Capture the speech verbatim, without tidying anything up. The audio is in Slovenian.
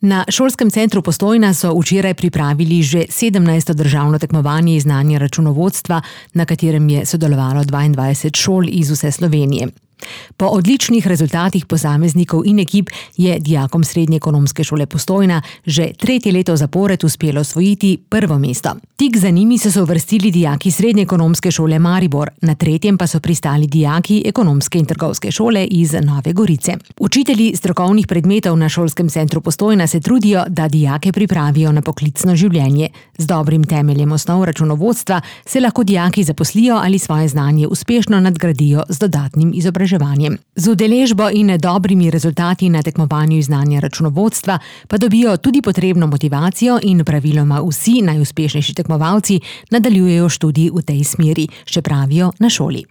Na šolskem centru Postojna so včeraj pripravili že sedemnajsto državno tekmovanje iz znanja računovodstva, na katerem je sodelovalo dvaindvajset šol iz vse Slovenije. Po odličnih rezultatih posameznikov in ekip je dijakom Srednje ekonomske šole Postojna že tretje leto zapored uspelo osvojiti prvo mesto. Tik za njimi so se uvrstili dijaki Srednje ekonomske šole Maribor, na tretjem pa so pristali dijaki Ekonomske in trgovske šole iz Nove Gorice. Učitelji strokovnih predmetov na šolskem centru Postojna se trudijo, da dijake pripravijo na poklicno življenje. Z dobrim temeljem osnov računovodstva se lahko dijaki zaposlijo ali svoje znanje uspešno nadgradijo z dodatnim izobraževanjem. Z udeležbo in dobrimi rezultati na tekmovanju iz znanja računovodstva pa dobijo tudi potrebno motivacijo in praviloma vsi najuspešnejši tekmovalci nadaljujejo študij v tej smeri, še pravijo na šoli.